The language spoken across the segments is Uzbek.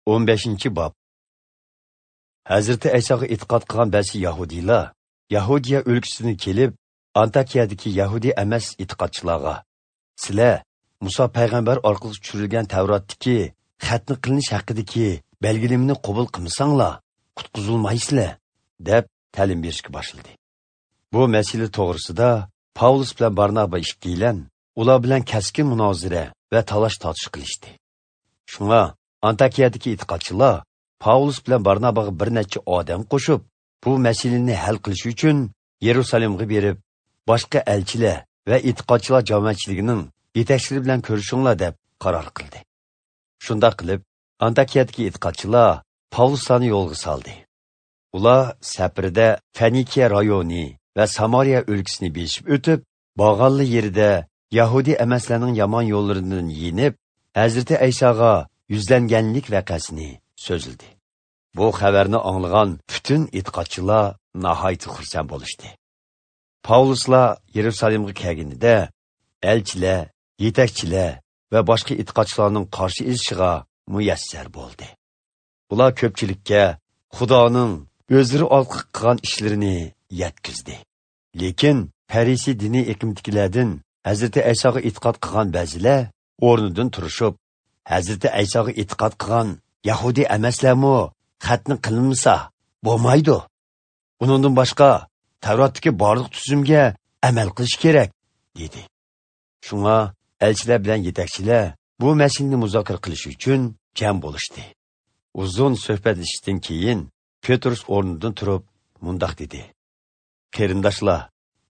15-bob. Hazrati Aysoga e'tiqod qilgan ba'zi yahudiylar Yahudiya o'lkasidan kelib, Antakiyadagi yahudi emas e'tiqodchilarga: "Sizlar Musa payg'ambar orqali tushirilgan Tavrotdagi xatni qilinish haqidagi belgilamani qabul qilmasanglar, qutqizilmaysizlar" deb ta'lim berishga boshladi. Bu masala to'g'risida Pavlus bilan Barnaba ikkilan ular bilan keskin munozara va talash tortish qilishdi. Shunga Antakiyadagi e'tiqodchilar Pavlus bilan Barnabaga bir necha odam qo'shib, bu masalani hal qilish uchun Yerusalimga berib, boshqa elchilar va e'tiqodchilar jamoatchiligining yetakchilari bilan ko'rishinglar deb qaror qildi. Shundoq qilib, Antakiyadagi e'tiqodchilar Pavlusni yo'lga soldi. Ular safarida Fenikiya rayoni va Samariya o'lkasini beshib o'tib, Bag'alli yerida Yahudi emaslarning yomon yo'llaridan yenib, Hazrati Aysoga yuzlanganlik vaqasini so'zildi. Bu xabarni anglagan butun e'tiqodchilar nihoyat xursand bo'lishdi. Pavluslar Yerusalimga kelganida elchilar, yetakchilar va boshqa e'tiqodchilarning qarshi elishiga muyassar bo'ldi. Ular ko'pchilikka Xudoning o'zlari orqali qilgan ishlarini yetkazdi. Lekin Farisi diniy eqimdikilardan Hazrati Aysoga e'tiqod qilgan ba'zilar o'rnidan turishib, Hazrati Aysoga e'tiqod qilgan Yahudi emaslarmi xatni qilinmasa bo'lmaydi. Undan boshqa Tavrotdagi barliq tuzumga amal qilish kerak, dedi. Shunga elchilar bilan yetakchilar bu masalani muzokara qilish uchun jam bo'lishdi. Uzun suhbatlashishdan keyin Petrus o'rnidan turib mundoq dedi: "Qarindoshlar,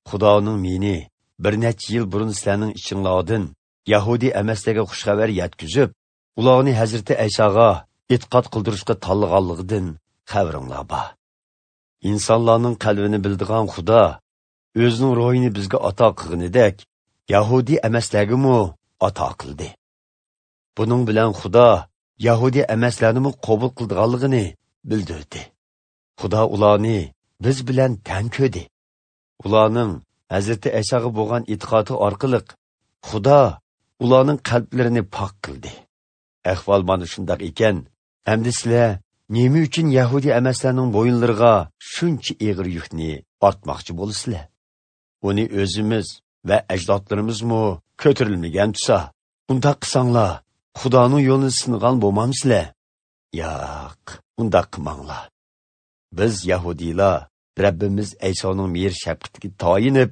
Xudoning meni bir necha yil burun sizlarning ichinglardan Yahudi emaslarga xushxabar yetkazib, ularni Hazrati Aysoga e'tiqod qildirishga tanlaganligidan xabaringlar bor. Insonlarning qalbini bildigan Xudo o'zining ruhini bizga ato qilganidek, Yahudi emaslarga-mu ato qildi. Buning bilan Xudo Yahudi emaslarni qabul qildiganligini bildirdi. Xudo ularni biz bilan tang ko'rdi. Ularning Hazrati Aysoga bo'lgan e'tiqodi orqali Xudo ularning qalblarini pok qildi. Ahvol mana shundoq ekan, endi sizlar nima uchun Yahudi emaslarning bo'yinlariga shuncha ig'ir yukni ortmoqchi bo'lasizlar? Uni o'zimiz va ajdodlarimizmi ko'tarilmagan tusa, undaq qilsanglar, Xudoning yo'lini sinagan bo'lmamsizlar? Yo'q, undaq qilmanglar. Biz Yahudiylar Rabbimiz Aysoning mehr shafqatiga toyinib,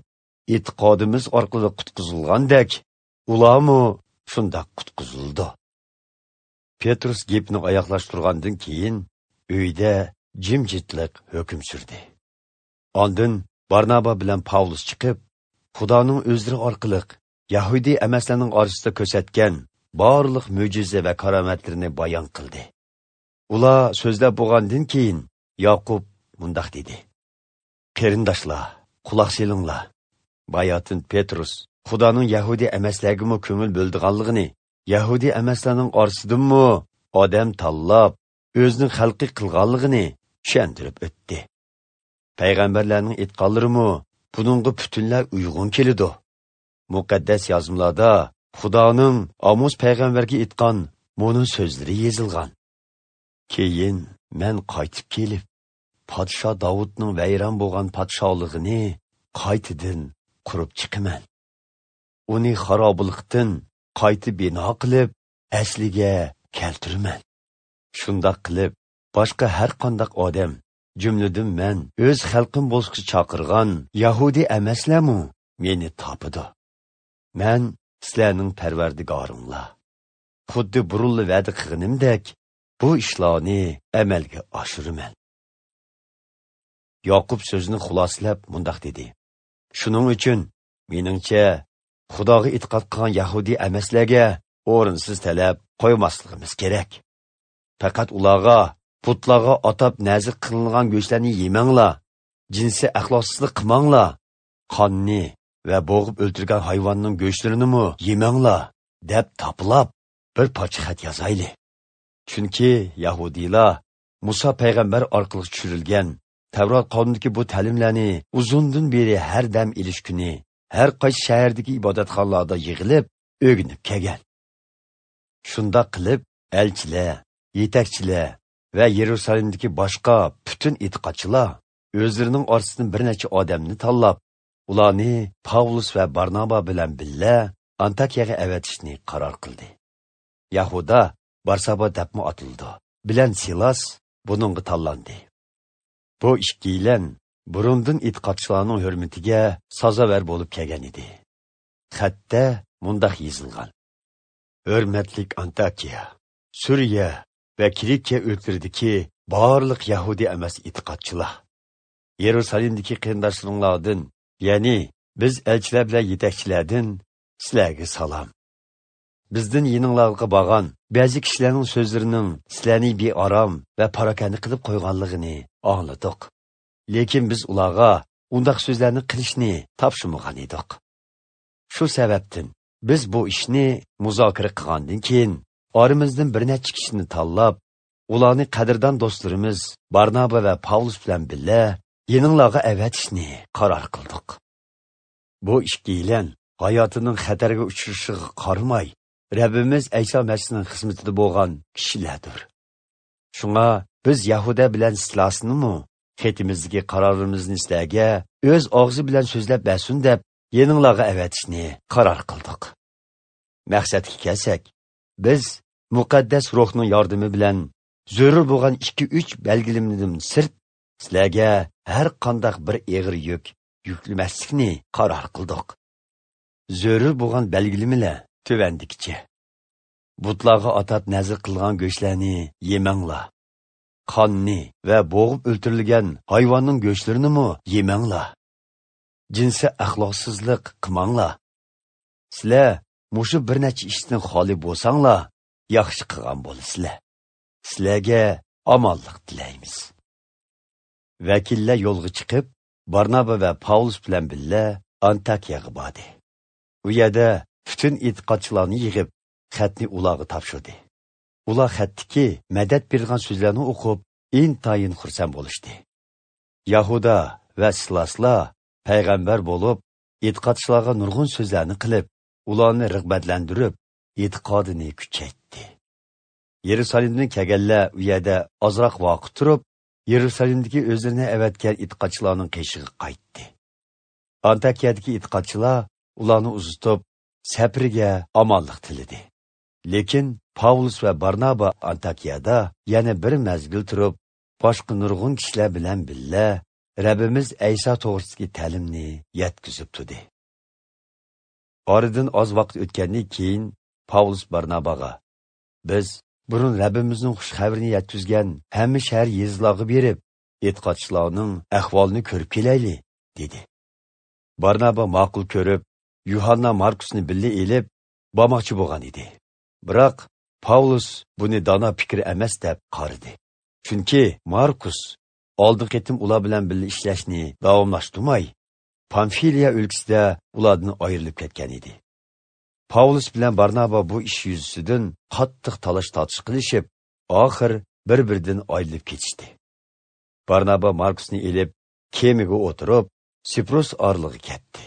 e'tiqodimiz orqali qutqizilgandek, ularmi shundoq qutqizildi." Petrus gapni oyoqlashtirgandan keyin uyda jimjitlik hukm surdi. Ondan Barnaba bilan Pavlus chiqib, Xudoning o'zlari orqali Yahudi emaslarning orasida ko'rsatgan barliq mo'jiza va karomatlarini bayon qildi. Ular so'zlab bo'lgandan keyin Yaqub mundoq dedi: "Qarindoshlar, quloq selinglar. Bayotin Petrus Xudoning Yahudi emaslarga ko'ngil bo'ldiganligini, Yahudi emaslarning orasidanmi odam tanlab, o'zining xalqi qilganligini tushuntirib o'tdi. Payg'ambarlarning aytganlarimi buningga butunlay uyg'un keladi. Muqaddas yozmalarda Xudoning Amos payg'ambarga aytgan mo'nin so'zlari yozilgan. Keyin men qaytib kelib, podsho Davudning vayron bo'lgan podsholig'ini qaytadan qurib chiqaman. Uni xarobilikdan qayta bino qilib, asliga keltiraman. Shundoq qilib, boshqa har qanday odam, jumladan men o'z xalqim bo'lishga chaqirgan Yahudi emaslarmi meni topadi. Men sizlarning parvardigoringlar. Xuddi burunli va'da qilganimdek, bu ishlarni amalga oshiraman." Yoqub so'zini xulosalab mundoq dedi: "Shuning uchun meningcha Xudoga e'tiqod qilgan Yahudi emaslarga o'rinsiz talab qo'ymasligimiz kerak. Faqat ularga putlarga atab nazir qilingan go'shtlarni yemanglar, jinsiy axloqsizlik qilmanglar, qonni va bo'g'ib o'ldirgan hayvonning go'shtlarini yemanglar deb topilab bir parcha xat yozayli. Chunki Yahudiylar Musa payg'ambar orqali tushirilgan Tavrot qonunidagi bu ta'limlarni uzundan beri har dam ilish kuni har qaysi shahardagi ibodatxonalarda yig'ilib o'rganib kelgan. Shundoq qilib elchilar Yetakchilar va Yerusalimdagi boshqa butun e'tiqodchilar o'zlarining orasidan bir necha odamni tanlab, ularni Pavlus va Barnaba bilan birga Antakiyaga avatishni qaror qildi. Yahuda Barsaba debmi atildi bilan Silas buningga tanlandi. Bu ikkiylan burundan e'tiqodchilarning hurmatiga sazovar bo'lib kelgan edi. Xatda mundaq yozilgan: Hurmatlik Antakiya, Suriya va Kilikiya o'lkalaridagi barliq Yahudi emas e'tiqodchilar, Yerusalimdagi qarindoshlaringlardan, ya'ni biz elchilar bilan yetakchilardan sizlarga salom. Bizdan yeninglarga borgan ba'zi kishilarning so'zlarining sizlarni bearom va parakanda qilib qo'yganligini angladik. Lekin biz ularga undaq so'zlarni qilishni topshirmagan edik. Shu sababdan biz bu ishni muzokara qilgandan keyin oramizdan bir necha kishini tanlab, ularni qadrdon do'stlarimiz Barnaba va Pavlus bilan birga yeninglarga avatishni qaror qildik. Bu ikkiylan hayotining xatarga uchrashiga qaramay, Rabbimiz Ayso Masihning xizmatida bo'lgan kishilardir. Shunga biz Yahuda bilan Silasnimi xetimizdagi qarorimizni sizlarga o'z og'zi bilan so'zlab bersin deb yeninglarga avatishni qaror qildik. Maqsadga kelsak, biz muqaddas ruhning yordami bilan zarur bo'lgan 2-3 belgilamdan sirt sizlarga har qanday bir og'ir yuk yuklamaslikni qaror qildik. Zarur bo'lgan belgilamalar tuvandikicha: butlarga atab nazr qilgan go'shtlarni yemanglar, qonni va bo'g'ib o'ltirilgan hayvonning go'shtlarini yemanglar, jinsiy axloqsizlik qilmanglar. Sizlar mushu bir necha ishdan xoli bo'lsanglar, yaxshi qilgan bo'lasizlar. Sizlarga omonlik tilaymiz. Vakillar yo'lga chiqib, Barnaba va Pavlus bilan birga Antakiyaga bordi. U yerda butun e'tiqodchilarni yig'ib, xatni ularga topshirdi. Ular xatdagi madad bergan so'zlarni o'qib, intayin xursand bo'lishdi. Yahuda va Silaslar payg'ambar bo'lib, e'tiqodchilarga nurg'un so'zlarni qilib, ularni rag'batlantirib, e'tiqodini kuchaytdi. Yerusalimdan kelganlar u yerda ozroq vaqt turib, Yerusalimdagi o'zlarini avatgan e'tiqodchilarning qishig'i qaytdi. Antakiyadagi e'tiqodchilar ularni uzatib, safriga omonlik tiladi. Lekin Pavlus va Barnaba Antakiyada yana bir mezgil turib, boshqa nurg'un kishilar bilan birga Rabbimiz Ayso to'g'risidagi ta'limni yetkazib turdi. Oradan oz vaqt o'tgandan keyin Pavlus Barnabaga: "Biz burun Rabbimizning xush xabarini yetkazgan hamma shahar yezilarga berib, e'tiqodchilarning ahvolini ko'rib kelayli", dedi. Barnaba ma'qul ko'rib, Yuhanna Markusni birga elib bormoqchi bo'lgan edi. Biroq Pavlus buni dono fikr emas deb qaradi. Chunki Markus oldin qitim ular bilan birga ishlashni davomlashtirmay, Pamfiliya o'lkasida ulardan ayrilib ketgan edi. Pavlus bilan Barnaba bu ish yuzasidan qattiq talash tortish qilishib, oxir bir-biridan ayrilib ketishdi. Barnaba Markusni elib, kemaga o'tirib, Siprus orlig'iga ketdi.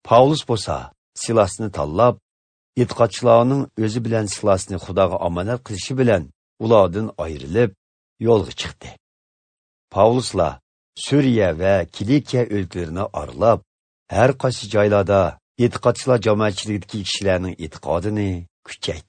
Pavlus bo'lsa Silasni tanlab, e'tiqodchilarning o'zi bilan Silasni Xudoga omonat qilishi bilan ulardan ayrilib yo'lga chiqdi. Pavlusla Suriya va Kilikiya o'lkalarini aralab, har qaysi joylarda e'tiqodchilar jamoatchiligidagi kishilarning e'tiqodini kuchaytirdi.